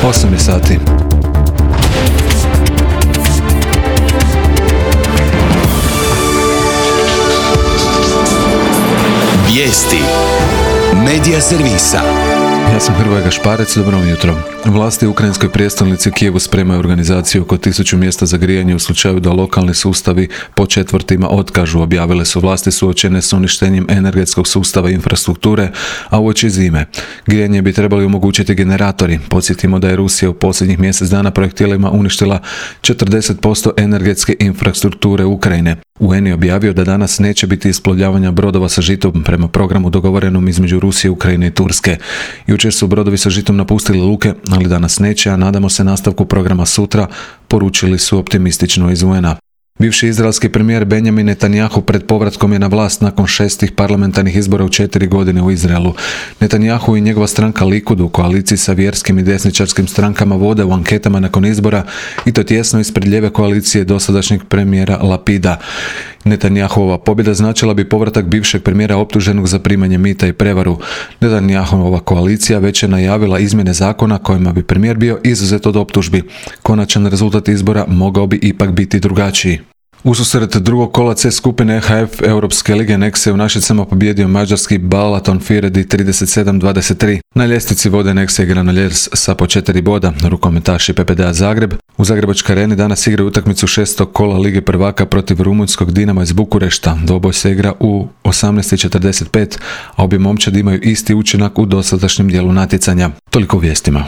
8 je sati. Vijesti Medija servisa. Ja sam Hrvoje Gašparec, dobro jutro. Vlasti u ukrajinskoj prijestolnici Kijevu spremaju organizaciju oko 1000 mjesta za grijanje u slučaju da lokalni sustavi po četvrtima otkažu. Objavile su vlasti suočene s uništenjem energetskog sustava i infrastrukture, a uoči zime. Grijanje bi trebali omogućiti generatori. Podsjetimo da je Rusija u posljednjih mjesec dana projektilima uništila 40% energetske infrastrukture Ukrajine. UN je objavio da danas neće biti isplovljavanja brodova sa žitom prema programu dogovorenom između Rusije, Ukrajine i Turske. Jučer su brodovi sa žitom napustili luke, ali danas neće, a nadamo se nastavku programa sutra, poručili su optimistično iz UN-a. Bivši izraelski premijer Benjamin Netanjahu pred povratkom je na vlast nakon 6 parlamentarnih izbora u 4 godine u Izraelu. Netanjahu i njegova stranka Likud u koaliciji sa vjerskim i desničarskim strankama vode u anketama nakon izbora, i to tjesno ispred lijeve koalicije dosadašnjeg premijera Lapida. Netanjahova pobjeda značila bi povratak bivšeg premijera optuženog za primanje mita i prevaru. Netanjahova koalicija već je najavila izmjene zakona kojima bi premijer bio izuzet od optužbi. Konačan rezultat izbora mogao bi ipak biti drugačiji. Ususret drugog kola C skupine EHF Europske lige Nexe u Našicama pobjedio mađarski Balaton Firedi 37-23. Na ljestvici vode Nexe i Granollers sa po 4 boda. Rukometaši PPDA Zagreb u Zagrebačkoj areni danas igraju utakmicu 6. kola Lige prvaka protiv rumunjskog Dinama iz Bukurešta. Dvoboj se igra u 18:45, a obje momčadi imaju isti učinak u dosadašnjem dijelu natjecanja. Toliko u vijestima.